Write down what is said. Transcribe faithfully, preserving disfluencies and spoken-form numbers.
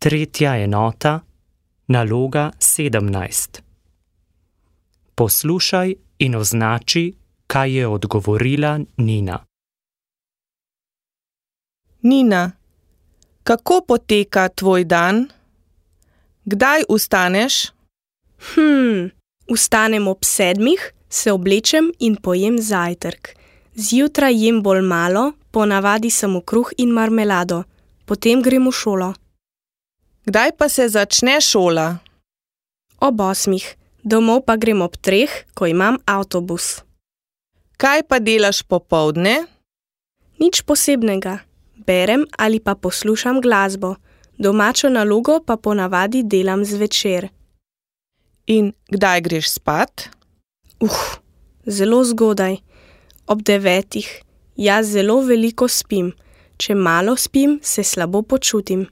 Tretja enota, naloga sedemnajst. Poslušaj in označi, kaj je odgovorila Nina. Nina, kako poteka tvoj dan? Kdaj vstaneš? Hm, vstanem ob sedmih, se oblečem in pojem zajtrk. Zjutraj jem bolj malo, ponavadi samo kruh in marmelado. Potem grem v šolo. Kdaj pa se začne šola? Ob osmih. Domov pa grem ob treh, ko imam avtobus. Kaj pa delaš popoldne? Nič posebnega. Berem ali pa poslušam glasbo. Domačo nalogo pa ponavadi delam zvečer. In kdaj greš spat? Uh, zelo zgodaj. Ob devetih. Jaz zelo veliko spim. Če malo spim, se slabo počutim.